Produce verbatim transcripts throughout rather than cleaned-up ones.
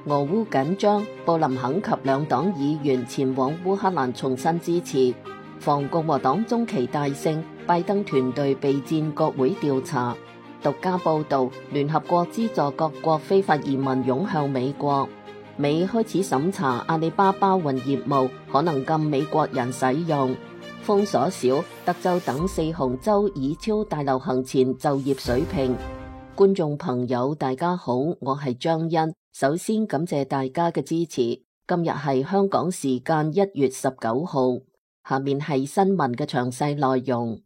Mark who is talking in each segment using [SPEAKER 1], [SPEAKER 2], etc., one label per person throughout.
[SPEAKER 1] 俄烏緊張，布林肯及兩黨議員前往烏克蘭重申支持，防共和黨中期大勝，拜登團隊備戰國會調查。獨家報導，聯合國資助各國非法移民湧向美國。美開始審查阿里巴巴雲業務，可能禁美國人使用。封鎖少，德州等四雄州已超大流行前就業水平。觀眾朋友，大家好，我係張欣。首先感謝大家嘅支持。今日係香港時間一月十九號，下面係新聞嘅詳細內容。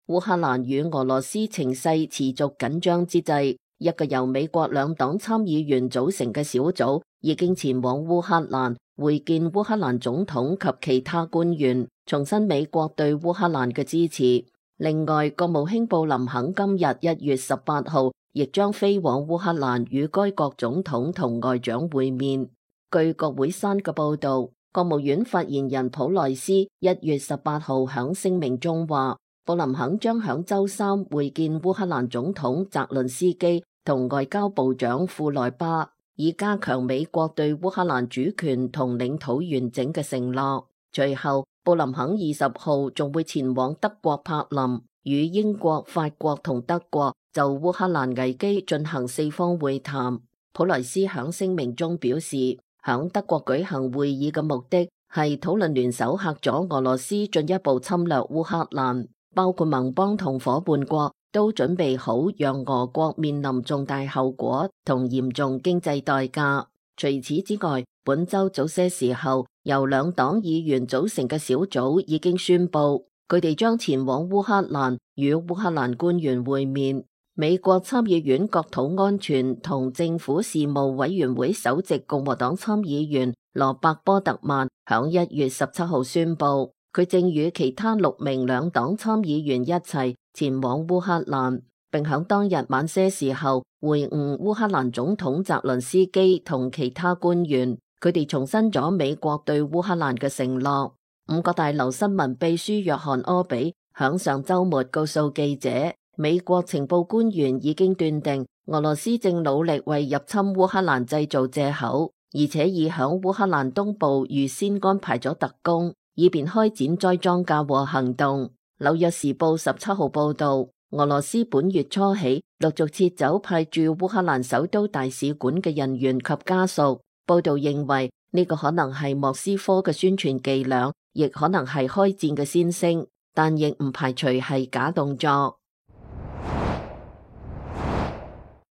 [SPEAKER 1] 烏克蘭與俄羅斯情勢持續緊張之際，一個由美國兩黨參議員組成嘅小組已經前往烏克蘭會見烏克蘭總統及其他官員，重申美國對烏克蘭嘅支持。另外，國務卿布林肯今日一月十八號亦將飛往烏克蘭與該國總統同外長會面。據國會山嘅報道，國務院發言人普萊斯一月十八號響聲明中話，布林肯將響周三會見烏克蘭總統澤倫斯基同外交部長庫萊巴，以加強美國對烏克蘭主權同領土完整嘅承諾。隨後，布林肯二十號仲會前往德國柏林，與英國、法國同德國就烏克蘭危機進行四方會談。普萊斯響聲明中表示，響德國舉行會議嘅目的係討論聯手嚇阻俄羅斯進一步侵略烏克蘭。包括盟邦同夥伴國都準備好讓俄國面臨重大後果同嚴重經濟代價。除此之外，本週早些時候，由兩黨議員組成嘅小組已經宣布，佢哋將前往烏克蘭與烏克蘭官員會面。美國參議院國土安全同政府事務委員會首席共和黨參議員羅伯波特曼響一月十七號宣布，佢正與其他六名兩黨參議員一齊前往烏克蘭，並響當日晚些時候會晤烏克蘭總統澤倫斯基同其他官員。佢哋重申咗美國對烏克蘭嘅承諾。五角大樓新聞秘書約翰柯比響上週末告訴記者，美國情報官員已經斷定俄羅斯正努力為入侵烏克蘭製造藉口，而且已響烏克蘭東部預先安排咗特工，以便開展栽贓嫁禍行動。紐約時報十七號報道，俄羅斯本月初起陸續撤走派駐烏克蘭首都大使館嘅人員及家屬。報道認為呢個可能係莫斯科嘅宣傳伎倆，亦可能係開戰嘅先聲，但亦唔排除係假動作。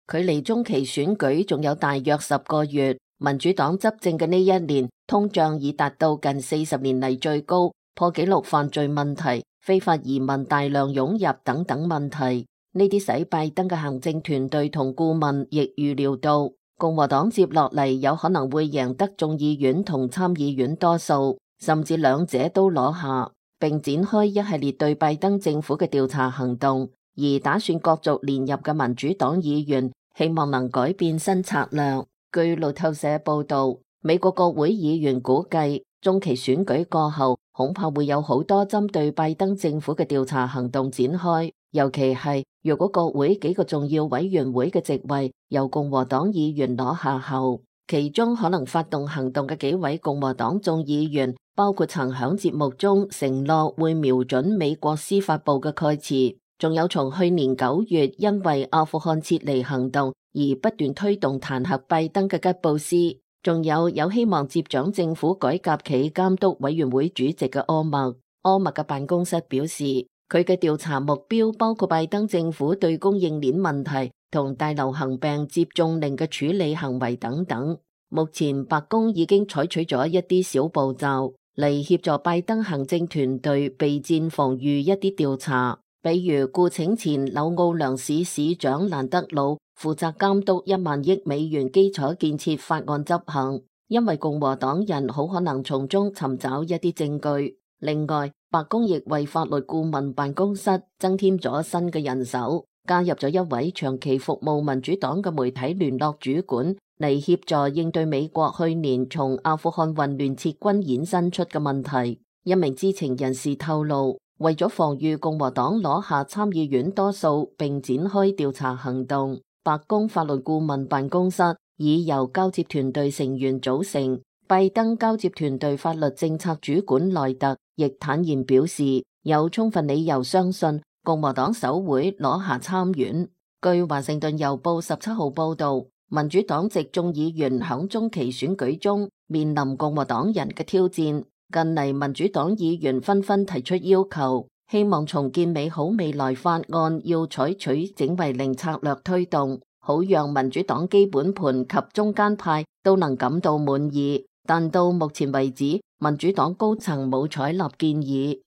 [SPEAKER 1] 距離中期選舉仲有大約十個月，民主黨執政嘅呢一年，通脹已達到近四十年嚟最高，破紀錄犯罪問題、非法移民大量湧入等等問題，呢啲使拜登嘅行政團隊同顧問亦預料到，共和黨接落嚟有可能會贏得眾議院同參議院多數，甚至兩者都攞下，並展開一系列對拜登政府嘅調查行動，而打算角逐連任嘅民主黨議員希望能改變新策略。據路透社報道，美國國會議員估計中期選舉過後，恐怕會有好多針對拜登政府嘅調查行動展開，尤其係若果國會幾個重要委員會嘅席位由共和黨議員攞下後，其中可能發動行動嘅幾位共和黨眾議員，包括曾響節目中承諾會瞄準美國司法部嘅蓋茨，仲有從去年九月因為阿富汗撤離行動而不斷推動彈劾拜登嘅吉布斯，仲有有希望接掌政府改革暨監督委員會主席嘅柯默。柯默嘅辦公室表示，佢嘅調查目標包括拜登政府對供應鏈問題同大流行病接種令嘅處理行為等等。目前白宮已經採取咗一啲小步驟嚟協助拜登行政團隊備戰防禦一啲調查，比如雇請前紐奧良市市長蘭德魯負責監督一萬億美元基礎建設法案執行，因為共和黨人好可能從中尋找一啲證據。另外，白宮亦為法律顧問辦公室增添咗新嘅人手，加入咗一位長期服務民主黨嘅媒體聯絡主管，嚟協助應對美國去年從阿富汗混亂撤軍衍生出嘅問題。一名知情人士透露，為咗防禦共和黨攞下參議院多數並展開調查行動，白宮法律顧問辦公室已由交接團隊成員組成。拜登交接團隊法律政策主管萊特亦坦言表示，有充分理由相信共和黨首會攞下參院。據華盛頓郵報十七號報道，民主黨籍眾議員響中期選舉中面臨共和黨人嘅挑戰。近嚟民主黨議員紛紛提出要求，希望重建美好未來法案要採取整為零策略推動，好讓民主黨基本盤及中間派都能感到滿意。但到目前為止，民主黨高層冇採納建議。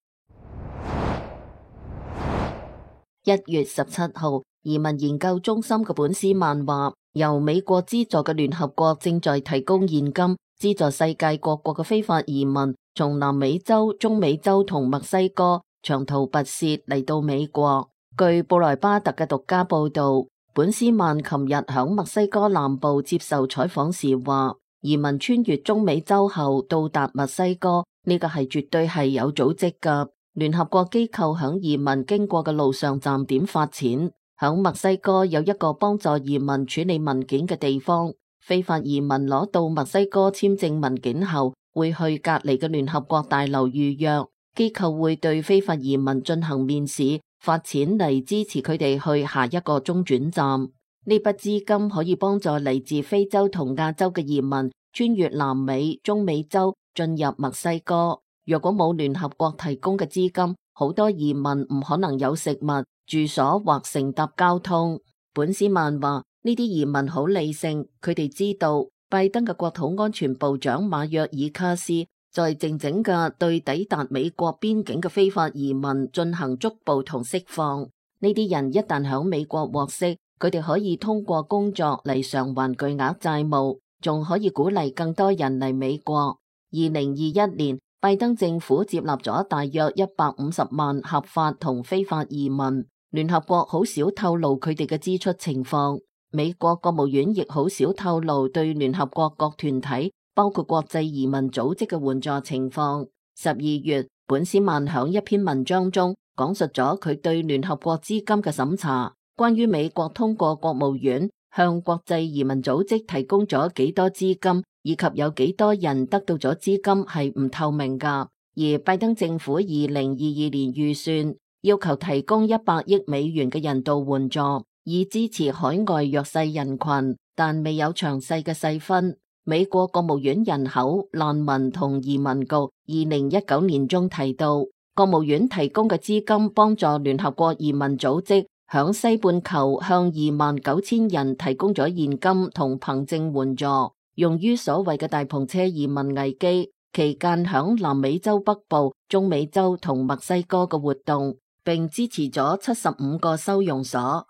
[SPEAKER 1] 一月十七號，移民研究中心嘅本斯曼話，由美國資助嘅聯合國正在提供現金，資助世界各國嘅非法移民從南美洲、中美洲同墨西哥長途跋涉嚟到美國。據布萊巴特嘅獨家報道，本斯曼琴日響墨西哥南部接受採訪時話，移民穿越中美洲後到達墨西哥，呢個係絕對係有組織㗎。聯合國機構響移民經過嘅路上站點發錢，響墨西哥有一個幫助移民處理文件嘅地方。非法移民攞到墨西哥簽證文件後，會去隔離嘅聯合國大樓預約，機構會對非法移民進行面試，發錢嚟支持佢哋去下一個中轉站。呢筆資金可以幫助嚟自非洲同亞洲嘅移民穿越南美、中美洲進入墨西哥。若果冇聯合國提供嘅資金，好多移民唔可能有食物、住所或乘搭交通。本斯曼話：呢啲移民好理性，佢哋知道拜登嘅國土安全部長馬約爾卡斯在靜靜嘅對抵達美國邊境嘅非法移民進行捉捕同釋放。呢啲人一旦響美國獲釋，佢哋可以通過工作嚟償還巨額債務，仲可以鼓勵更多人嚟美國。二零二一年，拜登政府接納咗大約一百五十萬合法同非法移民。聯合國好少透露佢哋嘅支出情況，美國國務院亦好少透露對聯合國各團體，包括國際移民組織嘅援助情況。十二月，本斯曼響一篇文章中講述咗佢對聯合國資金嘅審查。關於美國通過國務院向國際移民組織提供咗幾多資金，以及有幾多人得到咗資金係唔透明㗎。而拜登政府二零二二年預算要求提供一百億美元嘅人道援助，以支持海外弱勢人群，但未有詳細嘅細分。美國國務院人口、難民同移民局二零一九年中提到，國務院提供嘅資金幫助聯合國移民組織響西半球向二萬九千人提供咗現金同憑證援助，用於所謂嘅大篷車移民危機期間響南美洲北部、中美洲同墨西哥嘅活動，並支持咗七十五個收容所。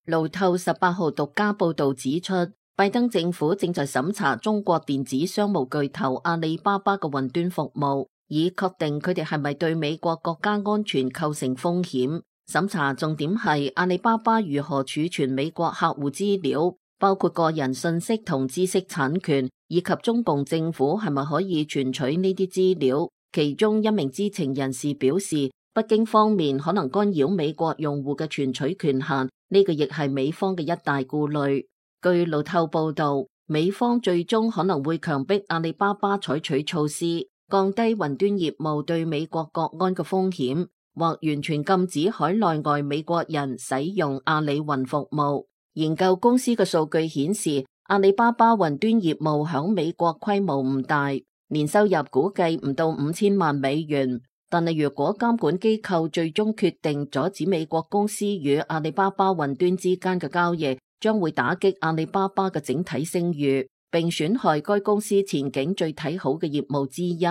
[SPEAKER 1] 路透十八號獨家報道指出，拜登政府正在審查中國電子商務巨頭阿里巴巴嘅雲端服務，以確定佢哋係咪對美國國家安全構成風險。審查重點係阿里巴巴如何儲存美國客戶資料，包括個人信息同知識產權，以及中共政府係咪可以存取呢啲資料。其中一名知情人士表示，北京方面可能干擾美國用戶嘅存取權限，呢個亦係美方嘅一大顧慮。據路透報道，美方最終可能會強迫阿里巴巴採取措施，降低雲端業務對美國國安嘅風險，或完全禁止海內外美國人使用阿里雲服務。研究公司嘅數據顯示，阿里巴巴雲端業務響美國規模唔大，年收入估計唔到五千萬美元。但係如果監管機構最終決定阻止美國公司與阿里巴巴雲端之間嘅交易，將會打擊阿里巴巴嘅整體聲譽，並損害該公司前景最睇好嘅業務之一。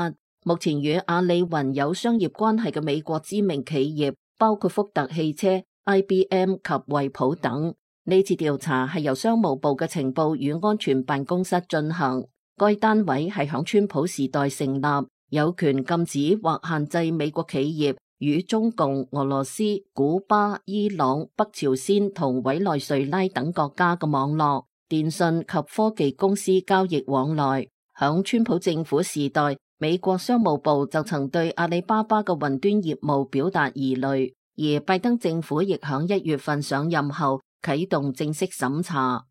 [SPEAKER 1] 目前與阿里雲有商業關係嘅美國知名企業包括福特汽車、I B M 及惠普等。呢次調查係由商務部嘅情報與安全辦公室進行，該單位係響川普時代成立，有權禁止或限制美國企業與中共、俄羅斯、古巴、伊朗、北朝鮮同委內瑞拉等國家嘅網絡、電信及科技公司交易往來。響川普政府時代，美國商務部就曾對阿里巴巴嘅雲端業務表達疑慮，而拜登政府亦響一月份上任後啟動正式審查。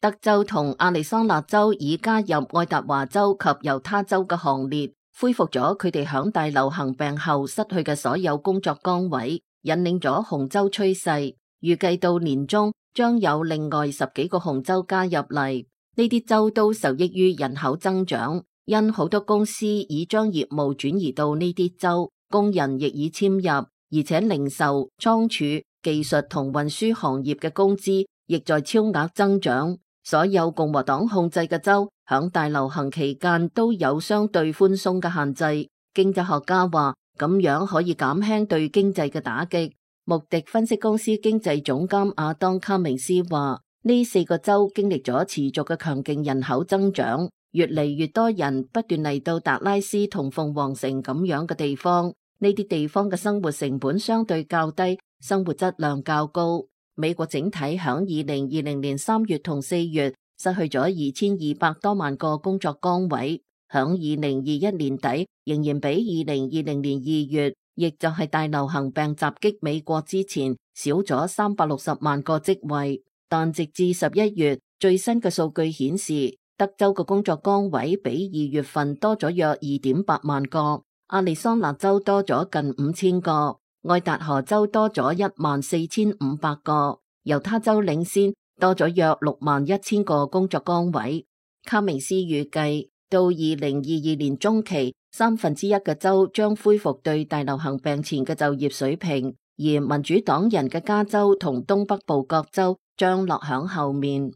[SPEAKER 1] 德州同亞利桑那州已加入愛達華州及猶他州嘅行列，恢復咗佢哋響大流行病後失去嘅所有工作崗位，引領咗紅州趨勢。預計到年中將有另外十幾個紅州加入嚟，呢啲州都受益於人口增長，因好多公司已將業務轉移到呢啲州，工人亦已遷入，而且零售、倉儲、技術同運輸行業嘅工資亦在超額增長。所有共和黨控制嘅州響大流行期間都有相對寬鬆嘅限制。經濟學家話咁樣可以減輕對經濟嘅打擊。穆迪分析公司經濟總監亞當卡明斯話，呢四個州經歷咗持續嘅強勁人口增長，越嚟越多人不斷嚟到達拉斯同鳳凰城咁樣嘅地方。呢啲地方嘅生活成本相對較低，生活質量較高。美國整體響二零二零年三月同四月失去咗二千二百多萬個工作崗位，響二零二一年底仍然比二零二零年二月，亦就係大流行病襲擊美國之前少咗三百六十萬個職位。但直至十一月，最新嘅數據顯示，德州嘅工作崗位比二月份多咗約二點八萬個，亞利桑那州多咗近五千個。愛達荷州多咗一萬四千五百個，猶他州領先多咗約六萬一千個工作崗位。卡明斯預計到二零二二年中期，三分之一嘅州將恢復對大流行病前嘅就業水平，而民主黨人嘅加州同東北部各州將落響後面。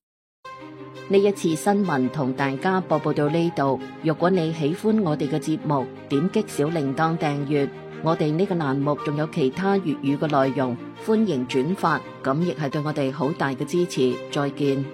[SPEAKER 1] 呢一次新聞同大家播報到呢度，如果你喜歡我哋嘅節目，點擊小鈴鐺訂閱。我哋呢個欄目仲有其他粵語嘅內容，歡迎轉發，咁亦係對我哋好大嘅支持。再見。